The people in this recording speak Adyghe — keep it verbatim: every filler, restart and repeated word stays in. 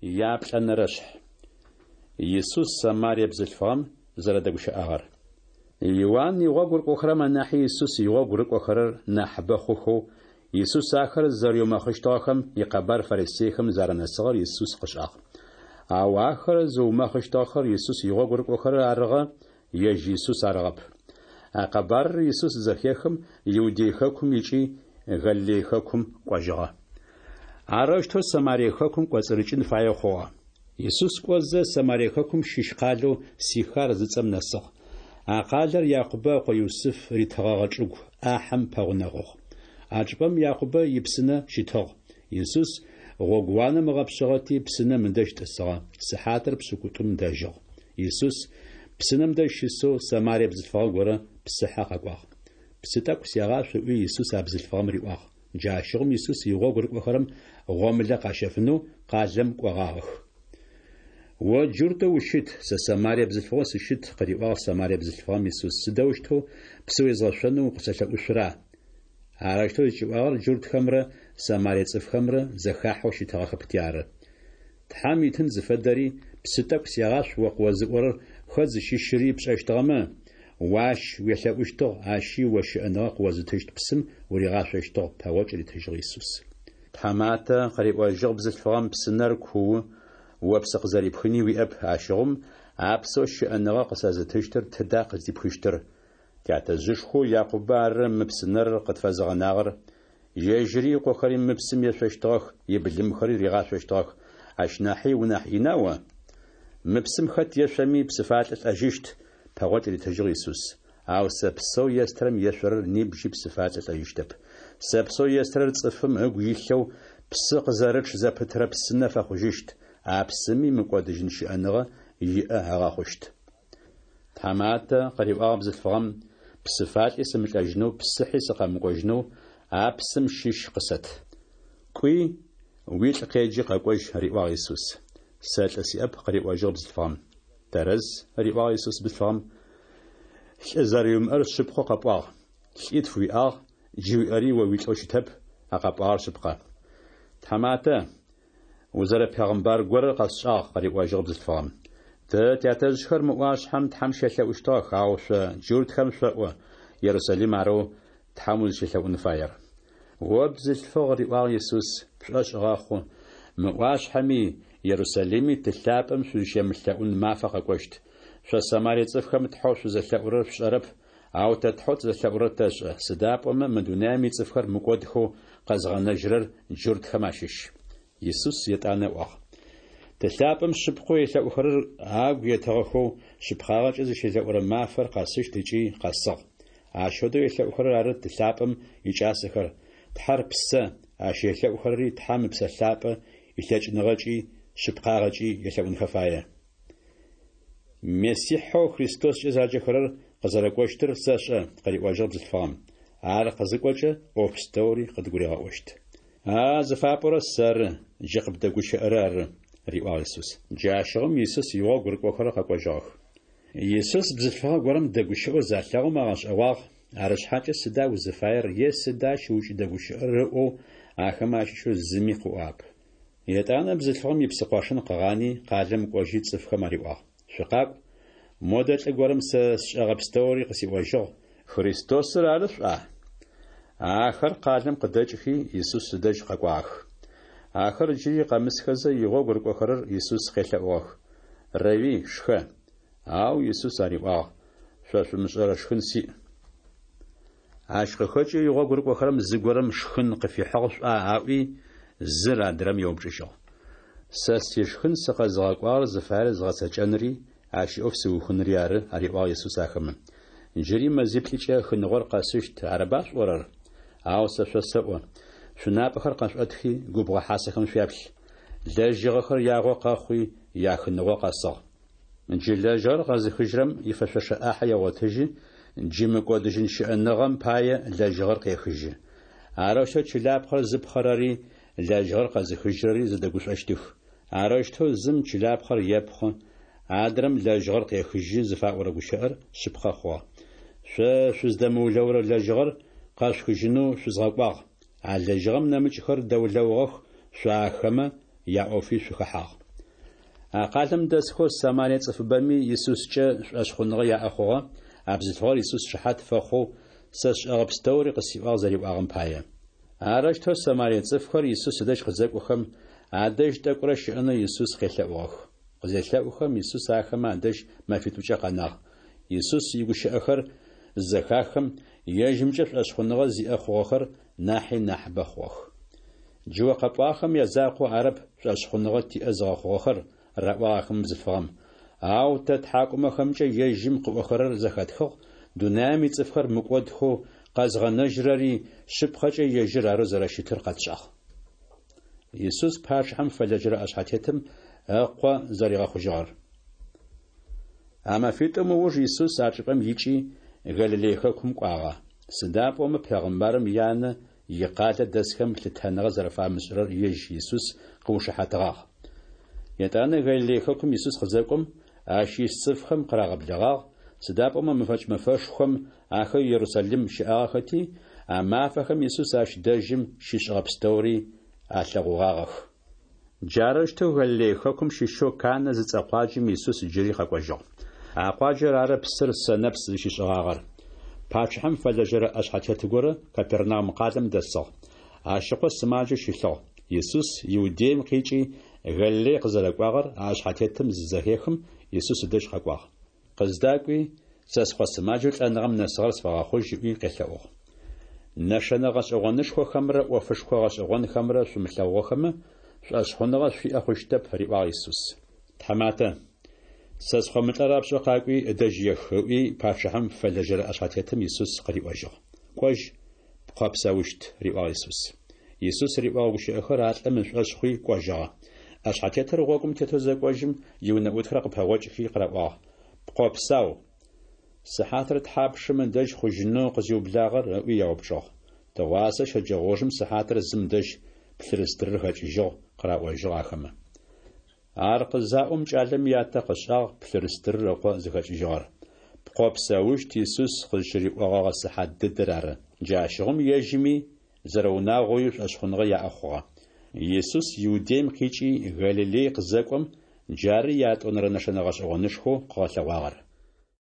Яплӏэнэрэшъхь. Исус Самарие бзылъфыгъэм зэрэдэгущыӏагъэр. Иуан игъогу рыкӏохэрэм анахьи Исус игъогу рыкӏохэрэр нахьыбэ хъухэу, Исус ахэр зэриумэхъыщтыгъэхэм икъэбар фарисейхэм зэранэсыгъэр Исус къышӏагъ. Ау ахэр зыумэхъыщтыгъэхэр Исус игъогу рыкӏохэрэр арыгъэ, ежь Исус арыгъэп. А къэбарыр Исус зызэхехым, Иудей хэкум икӏи, Галилей хэкум кӏожьыгъэ. Арэущтэу Самарие хэкум кӏоцӏырыкӏын фаеу хъугъэ. Исус кӏозэ, Самарие хэкум щыщ къалэу Сихар зыцӏэм нэсыгъ. А къалэр Якъубэ ыкъо Юсыф ритыгъэгъэ чӏыгу ӏахьэм пэгъунэгъугъ. А чӏыпӏэм Якъубэ ипсынэ щытыгъ. Исус гъогууанэм ыгъэпшъыгъэти, псынэм ыдэжь тӏысыгъэ, сыхьатыр пшӏыкӏутӏум дэжьыгъ. Исус псынэм дэжь щысэу Самарие бзылъфыгъэ горэ псыхьэ къэкӏуагъ. Псы тӏэкӏу сегъашъу, ыӏуи, Исус а бзылъфыгъэм риӏуагъ. Джащыгъум Исус игъогу рыкӏохэрэм гъомылэ къащэфынэу къалэм кӏогъагъэх. О джуртэу ущыт, сэ Самарие бзылъфыгъэу сыщыт, къыриӏуагъ Самарие бзылъфыгъэм Исус, сыдэущтэу псы уезгъэшъонэу укъысэлъэӏушъура? Арэущтэу зыкӏиӏуагъэр джуртхэмрэ Самарие цӏыфхэмрэ зэхахьэу щытыгъэхэпти ары. Тхьэм итын зыфэдэри, псы тӏэкӏу сегъашъу о къыозыӏорэр хэт зыщыщыри пшӏэщтыгъэмэ, о ащ уелъэӏущтыгъ, ащи о щыӏэныгъэ къыозытыщт псым уригъашъощтыгъ, пэгъокӏ ритыжьыгъ Исус. Тхьаматэ, къыриӏожьыгъ бзылъфыгъэм, псынэр куу, о псы къызэрипхыни уиӏэп, ащыгъум а псэу щыӏэныгъэ къысэзытыщтыр тыда къыздипхыщтыр? Тятэжъышхоу Якъубэ ары мы псынэр къытфэзыгъэнагъэр, ежьыри ыкъохэри мы псым ешъощтыгъэх, ибылымхэри ригъашъощтыгъэх, ащ нахьи унахь ина о? Мы псым хэт ешъоми псыфалӏэ лӏэжьыщт, пэгъокӏ ритыжьыгъ Исус. Ау сэ псэу естырэм ешъорэр нибжьи псыфалӏэ лӏэжьыщтэп. Сэ псэу естырэр цӏыфым ыгу илъэу псы къызэрычъ зэпытырэ псынэ фэхъужьыщт, а псыми мыкӏодыжьын щыӏэныгъэ иӏэ ыгъэхъущт. Тхьаматэ, къыриӏуагъ бзылъфыгъэм, псыфалӏи сымылӏэжьынэу, псыхьи сыкъэмыкӏожьынэу а псым щыщ къысэт. Кӏуи, уилӏ къеджи къэкӏожь, риӏуагъ Исус. Сэ лӏы сиӏэп, къыриӏожьыгъ бзылъфыгъэм. Тэрэз, риӏуагъ Исус бзылъфыгъэм, лӏы зэрэуимыӏэр шъыпкъэу къэпӏуагъ. Лӏитф уиӏагъ, джы уиӏэри о уилӏэу щытэп, а къэпӏуагъэр шъыпкъэ. Тхьаматэ, узэрэпегъымбар горэр къэсшӏагъ, къыриӏожьыгъ бзылъфыгъэм. Тэ тятэжъхэр мы ӏуашъхьэм Тхьэм щелъэӏущтыгъэх, ау шъо джуртхэм шъоӏо Ерусалим арэу Тхьэм узыщелъэӏун фаер. О бзылъфыгъ, риӏуагъ Исус, пшӏошъ гъэхъу, мы ӏуашъхьэми, Ерусалими Ты лъапӏэм шъузщемылъэӏун мафэ къэкӏощт. Шъо Самарие цӏыфхэм Тхьэу шъузэлъэӏурэр шъушӏэрэп, ау тэ Тхьэу тызэлъэӏурэр тэшӏэ, сыда пӏомэ мы дунаим ицӏыфхэр мыкӏодхэу къэзгъэнэжьырэр джуртхэм ащыщ. Исус етӏанэ ыӏуагъ: Ты лъапӏэм шъыпкъэу елъэӏухэрэр агу етыгъэхэу шъыпкъагъэкӏэ зыщелъэӏурэ мафэр къэсыщт ыкӏи къэсыгъ. Ащ фэдэу елъэӏухэрэр ары Ты лъапӏэм икӏасэхэр. Тхьэр псэ, ащ елъэӏухэрэри Тхьэм Ыпсэ Лъапӏэ илъэкӏыныгъэкӏи шъыпкъагъэкӏи елъэӏунхэ фае. Мессихьэу Христоскӏэ заджэхэрэр къызэрэкӏощтыр сэшӏэ, къыриӏожьыгъ бзылъфыгъэм. Ар къызыкӏокӏэ, ӏоф пстэури къыдгуригъэӏощт. А зыфапӏорэр сэры, джы къыбдэгущыӏэрэр ары, риӏуагъ Исус. Джащыгъум Исус игъогу рыкӏохэрэр къэкӏожьыгъэх. Исус бзылъфыгъэ горэм дэгущыӏэу залъэгъум агъэшӏэгъуагъ, арышъхьакӏэ сыда узыфаер е сыда ащ укӏыдэгущыӏэрэр ыӏоу ахэмэ ащыщэу зыми къыӏуагъэп. Етӏанэ бзылъфыгъэм ипсыкъошын къыгъани, къалэм кӏожьи цӏыфхэм ариӏуагъ: Шъукъакӏу, модэ лӏы горэм сэ сшӏэгъэ пстэури къысиӏожьыгъ, Христосыр ары шъуӏуа? Ахэр къалэм къыдэкӏхи, Исус ыдэжь къэкӏуагъэх. Ахэр джыри къэмысхэзэ, игъогу рыкӏохэрэр Исус къелъэӏугъэх: Рэуи, шхэ. Ау Исус ариӏуагъ: Шъо шъумышӏэрэ шхын сиӏ. Ащ къыхэкӏэу игъогу рыкӏохэрэм зыгорэм шхын къыфихьыгъ шӏуа аӏуи, зыр адрэм еупчӏыжьыгъ. Сэ сишхын сыкъэзыгъэкӏуагъэр зыфаер згъэцэкӏэнри, ащ иӏоф сыухынри ары, ариӏуагъ Исус ахэмэ. Джыри мэзиплӏыкӏэ хыныгъор къэсыщт, арыба шъуӏорэр? Ау сэ шъосэӏо: шъунапӏэхэр къэшӏотхи, губгъо хьасэхэм шъуяплъ. Лэжьыгъэхэр ягъо къэхъуи, яхыныгъо къэсыгъ. Джы лэжьыгъэр къэзыхыжьырэм ифэшъошэ ӏахьэ егъотыжьы, джы мыкӏодыжьын щыӏэныгъэм пае лэжьыгъэр къехыжьы. Арэущтэу чылапхъэр зыпхъэрэри лэжьыгъэр къэзыхыжьырэри зэдэгушӏощтых. Арэущтэу зым чылапхъэр епхъы, адрэм лэжьыгъэр къехыжьы зыфаӏорэ гущыӏэр шъыпкъэ хъугъэ. Шъо шъуздэмыулэурэ лэжьыгъэр къэшъухыжьынэу шъузгъэкӏуагъ. А лэжьыгъэм нэмыкӏхэр дэулэугъэх, шъо ахэмэ яӏофи шъухэхьагъ. А къалэм дэсхэу Самарие цӏыфыбэми Исускӏэ шӏошъхъуныгъэ яӏэ хъугъэ, а бзылъфыгъэр Исус шыхьат фэхъоу, Сэ сшӏэгъэ пстэури къысиӏуагъ зэриӏуагъэм пае. Арэущтэу Самарие цӏыфхэр Исус ыдэжь къызэкӏохэм, адэжь тӏэкӏурэ щыӏэнэу Исус къелъэӏугъэх. Къызелъэӏухэм, Исус ахэмэ адэжь мэфитӏукӏэ къэнагъ. Исус игущыӏэхэр зызэхахым, ежьымкӏэ шӏошъхъуныгъэ зиӏэ хъугъэхэр нахьи нахьыбэ хъугъэх. Джы о къэпӏуагъэхэм язакъоу арэп шӏошъхъуныгъэ тиӏэ зыгъэхъугъэхэр, раӏуагъ ахэмэ бзылъфыгъэм. Ау тэ ттхьакӏумэхэмкӏэ ежьым къыӏохэрэр зэхэтхыгъ, дунаем ицӏыфхэр мыкӏодхэу къэзгъэнэжьырэри шъыпкъэкӏэ ежьыр арэу зэрэщытыр къэтшӏагъ. Исус пачъыхьэм фэлэжьэрэ ӏэшъхьэтетым ыкъо зэригъэхъужьыгъэр. А мэфитӏум ыуж Исус а чӏыпӏэм икӏи, Галилей хэкум кӏуагъэ. Сыда пӏомэ пегъымбарым янэ икъалэ дэсхэм лъытэныгъэ зэрэфамышӏырэр ежь Исус къыушыхьатыгъагъ. Етӏанэ Галилей хэкум Исус къызэкӏом, ащ ис цӏыфхэм къырагъэблэгъагъ, сыда пӏомэ мэфэкӏ мэфэшхом ахэр Ерусалим щыӏагъэхэти, а мафэхэм Исус ащ дэжьым щишӏэгъэ пстэури алъэгъугъагъэх. Джарэущтэу Галилей хэкум щыщэу Канэ зыцӏэ къуаджэм Исус джыри къэкӏожьыгъ. А къуаджэр ары псыр сэнэпс зыщишӏыгъагъэр. Пачъыхьэм фэлэжьэрэ ӏэшъхьэтет горэ Капернаум къалэм дэсыгъ. Ащ ыкъо сымаджэу щылъыгъ. Исус Иудеем къикӏи, Галилей къызэрэкӏуагъэр а ӏэшъхьэтетым зызэхехым, Исус ыдэжь къэкӏуагъ. Къыздакӏуи, сэ скъо сымаджэу лӏэныгъэм нэсыгъэр сфэгъэхъужь ыӏуи къелъэӏугъ. Нэшэнэ гъэшӏэгъонышхохэмрэ ӏофышхо гъэшӏэгъонхэмрэ шъумылъэгъугъэхэмэ, шӏошъхъуныгъэ шъуиӏэ хъущтэп, риӏуагъ Исус. Тхьаматэ, сэ скъо мылӏэ рапшӏэу къакӏуи, ыдэжь ех, ыӏуи, пачъыхьэм фэлэжьэрэ ӏэшъхьэтетым Исус къыриӏожьыгъ. Кӏожь, пкъо псэущт, риӏуагъ Исус. Исус риӏогъэ гущыӏэхэр а лӏым ышӏошъ хъуи кӏожьыгъэ. ӏэшъхьэтетыр гъогум тетэу зэкӏожьым, иунэӏутхэр къыпэгъокӏхи къыраӏуагъ: Пкъо псау. Сыхьатыр тхьапшым ыдэжь хъужьынэу къызиублагъэр? ыӏуи яупчӏыгъ. Тыгъуасэ щэджэгъоужым сыхьатыр зым дэжь плъырыстырыр хэкӏыжьыгъ, къыраӏожьыгъ ахэмэ. Ар къызаӏом, кӏалэм ятэ къышӏагъ плъырыстырыр ыкъо зыхэкӏыжьыгъэр. Пкъо псэущт Исус къызщыриӏогъэгъэ сыхьат дэдэр ары. Джащыгъум ежьыми зэрэунагъоуи шӏошъхъуныгъэ яӏэ хъугъэ. Исус Иудеем къикӏи, Галилей къызэкӏом, джары ятӏонэрэ нэшэнэ гъэшӏэгъонышхоу къыгъэлъэгъуагъэр.